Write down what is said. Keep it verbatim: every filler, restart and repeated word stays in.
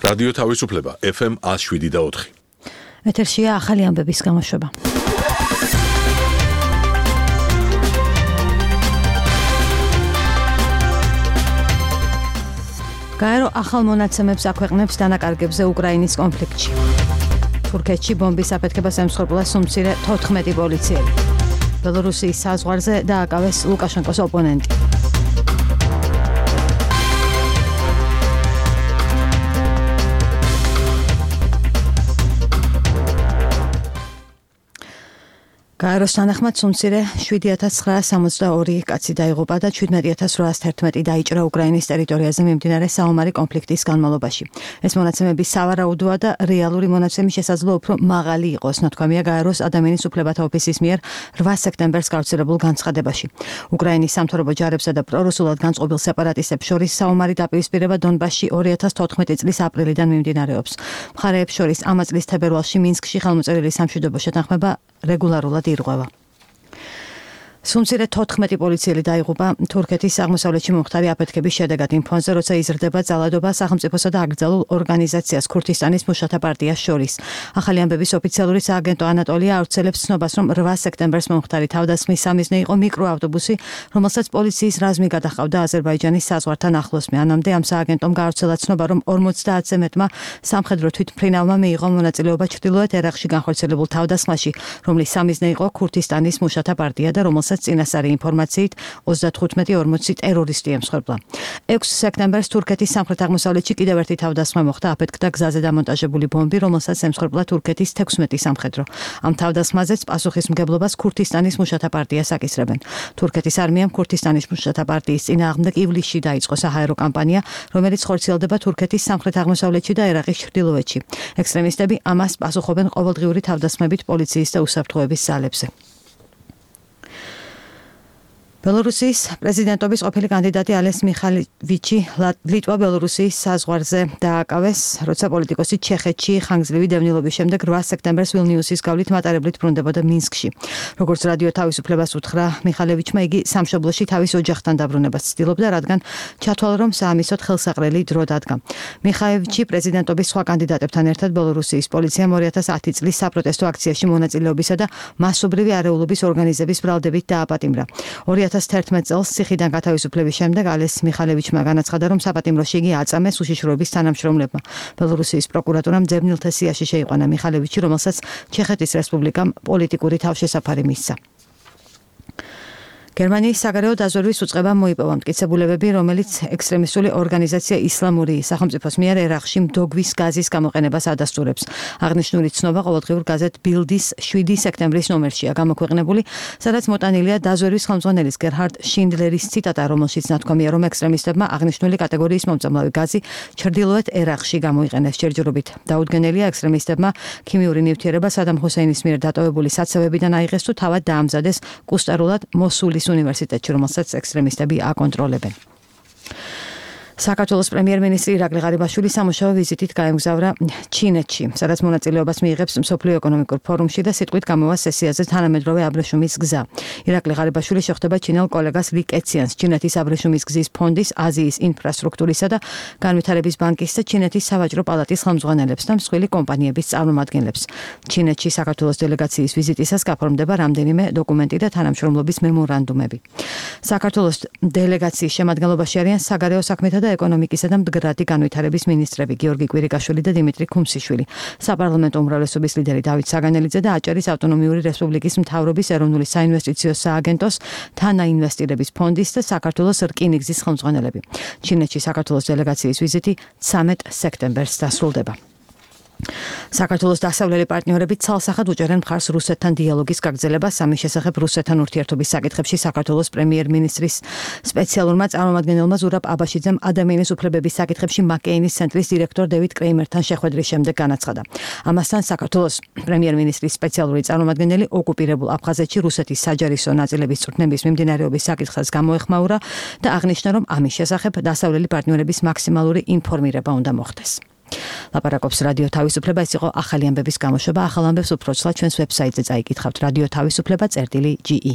რადიო თავისუფლება ეფ ემ one oh seven და four. ეთერშია ახალი ამბების გამოშვება. გაერო ახალ მონაცემებს აქვეყნებს დანაკარგებზე უკრაინის კონფლიქტში. თურქეთში ბომბის აფეთქებას ემსხვერპლა სუმცირე თოთხმეტი პოლიციელი. ბელორუსიის საზღვარზე დააკავეს ლუკაშენკოს ოპონენტი. გაეროს თანახმად სუმცირე seven thousand nine hundred sixty-two კაცი დაიღუპა და seventeen thousand eight hundred eleven დაიჭრა უკრაინის ტერიტორიაზე მიმდინარე საომარი კონფლიქტის განმავლობაში. ეს მონაცემები სავარაუდოა და რეალური მონაცემის შესაძლო უფრო მაღალი იყოს, ნათქვამია გაეროს ადამიანის უფლებათა ოფისის მიერ eight სექტემბერს გავრცელებულ განცხადებაში. უკრაინის სამთავრობო ჯარებსა და პრორუსულად განწყობილ სეპარატისტებს შორის საომარი დაპირისპირება დონბასში two thousand fourteen წლის აპრილიდან მიმდინარეობს. მხარეებს შორის ამ წლის თებერვალში მინსკში ხელმოწერილი სამშვიდობო შეთანხმება რეგულარულად ირღვევა. სუმცირე თოთხმეტი პოლიციელი დაიღუპა თურქეთის აღმოსავლეთში მომხდარი აფეთქების შედეგად იმ ფონზე, როცა იზრდება ძალადობა სახელმწიფოსა და აკრძალულ ორგანიზაციას ქურთისტანის მუშათა პარტიას შორის. ახალი ამბების ოფიციალური სააგენტო ანატოლია ავრცელებს ცნობას, რომ eight სექტემბერს მომხდარი თავდასხმის სამიზნე იყო მიკროავტობუსი, რომელსაც პოლიციის რაზმი გადაჰყავდა აზერბაიჯანის საზღვართან ახლოს. მანამდე ამ სააგენტომ გაავრცელა ცნობა, რომ forty-ზე მეტმა სამხედრო თვითმფრინავმა მიიღო მონაწილეობა ჩრდილოეთ ერაყში განხორციელებულ თავდასხმაში, რომლის სამიზნე იყო ქურთისტანის მუშათა პარტია და რომელსაც წინასწარი ინფორმაციით thirty-five forty ტერორისტი ემსხვერპლა. six სექტემბერს თურქეთის სამხრეთ-აღმოსავლეთში კიდევ ერთი თავდასხმა მოხდა, აფეთქდა გზაზე დამონტაჟებული ბომბი, რომელსაც ემსხვერპლა თურქეთის sixteen სამხედრო. ამ თავდასხმაზეც პასუხისმგებლობას ქურთისტანის მუშათა პარტიას აკისრებენ. თურქეთის არმიამ ქურთისტანის მუშათა პარტიის წინააღმდეგ ივლისში დაიწყო საჰაერო კამპანია, რომელიც ხორციელდება თურქეთის სამხრეთ-აღმოსავლეთში და ერაყის ჩრდილოეთში. ექსტრემისტები ამას პასუხობენ ყოველდღიური თავდასხმებით პოლიციის და უსაფრთხოების ძალებზე. ბელორუსიის პრეზიდენტობის ყოფილი კანდიდატი ალეს მიხალევიჩი ლიტვა-ბელორუსიის საზღვარზე დააკავეს, როცა პოლიტიკოსი ჩეხეთში ხანგრძლივი დევნილობის შემდეგ eight სექტემბერს ვილნიუსის გავლით მატარებლით ბრუნდებოდა მინსკში. როგორც რადიო თავისუფლებას უთხრა მიხალევიჩმა, იგი სამშობლოში თავის ოჯახთან დაბრუნებას ცდილობდა, რადგან ჩათვალა, რომ საამისოდ ხელსაყრელი დრო დადგა. მიხალევიჩი პრეზიდენტობის სხვა კანდიდატებთან ერთად ბელორუსიის პოლიციამ two thousand ten წლის საპროტესტო აქციაში მონაწილეობისა და მასობრივი არეულობის ორგანიზების ბრალდებით დააპატიმრა. two thousand eleven წელს ციხიდან გათავისუფლების შემდეგ ალეს მიხალევიჩმა განაცხადა, რომ საპატიმროში იგი აწამეს უშიშროების თანამშრომლებმა. ბელორუსიის პროკურატურამ ძებნილთა სიაში შეიყვანა მიხალევიჩი, რომელსაც ჩეხეთის რესპუბლიკამ პოლიტიკური თავშესაფარი მისცა. გერმანიის საგარეო დაზვერვის უწყებამ მოიპოვა მტკიცებულებები, რომელიც ექსტრემისტული ორგანიზაცია ისლამური სახელმწიფოს მიერ ერაყში მდოგვის გაზის გამოყენებას ადასტურებს. აღნიშნული ცნობა ყოველდღიურ გაზეთ ბილდის seven სექტემბრის ნომერშია გამოქვეყნებული, სადაც მოტანილია დაზვერვის ხელმძღვანელის გერჰარდ შინდლერის ციტატა, რომელშიც ნათქვამია, რომ ექსტრემისტებმა აღნიშნული კატეგორიის მომწამლავი გაზი ჩრდილოეთ ერაყში გამოიყენეს ჯერჯერობით. დაუდგენელია ექსტრემისტებმა ქიმიური ნივთიერება სადამ ჰუსეინის მიერ დატოვებული საცავებიდან აიღეს თუ თავად დაამზადეს კუსტარულად მოსულის უნივერსიტეტში, რომელსაც ექსტრემისტები აკონტროლებენ. საქართველოს პრემიერ-მინისტრი ირაკლი ღარიბაშვილი სამუშაო ვიზიტით გაემგზავრა ჩინეთში, სადაც მონაწილეობას მიიღებს მსოფლიო ეკონომიკურ ფორუმში და სიტყვით გამოვა სესიაზე თანამედროვე აბრეშუმის გზა. ირაკლი ღარიბაშვილი შეხვდება ჩინელ კოლეგას ლი კეციანს, ჩინეთის აბრეშუმის გზის ფონდის, აზიის ინფრასტრუქტურისა და განვითარების ბანკის და ჩინეთის სავაჭრო პალატის ხელმძღვანელებს და მსხვილი კომპანიების წარმომადგენლებს. ჩინეთში საქართველოს დელეგაციის ვიზიტისას გაფორმდება რამდენიმე დოკუმენტი და თანამშრომლობის მემორანდუმები. საქართველოს დელეგაციის შემადგენლობაში არიან საგარეო საქმეთა და ეკონომიკისა და მდგრადი განვითარების მინისტრები გიორგი კვირიკაშვილი და დიმიტრი ქუმსიშვილი, საპარლამენტო უმრავლესობის ლიდერი დავით საგანელიძე და აჭარის ავტონომიური რესპუბლიკის მთავრობის ეროვნული საინვესტიციო სააგენტოს თანაინვესტირების ფონდის და საქართველოს რკინიგზის ხელმძღვანელები. ჩინეთში საქართველოს დელეგაციის ვიზიტი thirty სექტემბერს დასრულდება. საქართველოს დასავლელი პარტნიორები ცალსახად უჭერენ მხარს რუსეთთან დიალოგის გაგრძელებას ამის შესახებ რუსეთთან ურთიერთობის საკითხებში საქართველოს პრემიერ-მინისტრის სპეციალურმა წარმომადგენელმა ზურაბ აბაშიძემ ადამიანის უფლებების საკითხებში მაკეინის ცენტრის დირექტორ დევიდ კრეიმერთან შეხვედრის შემდეგ განაცხადა. ამასთან საქართველოს პრემიერ-მინისტრის სპეციალური წარმომადგენელი ოკუპირებულ აფხაზეთში რუსეთის საჯარისო ნაწილების წვრთნების მიმდინარეობის საკითხს გამოეხმაურა და აღნიშნა, რომ ამის შესახებ დასავლელი პარტნიორების მაქსიმალური ინფორმირება უნდა მოხდეს. ლაპარაკობს რადიო თავისუფლება, ეს იყო ახალი ამბების გამოშვება. ახალ ამბებს უფრო ცალ ჩვენს ვებსაიტზე წაიკითხავთ რადიო თავისუფლება წერტილი ჯი ი.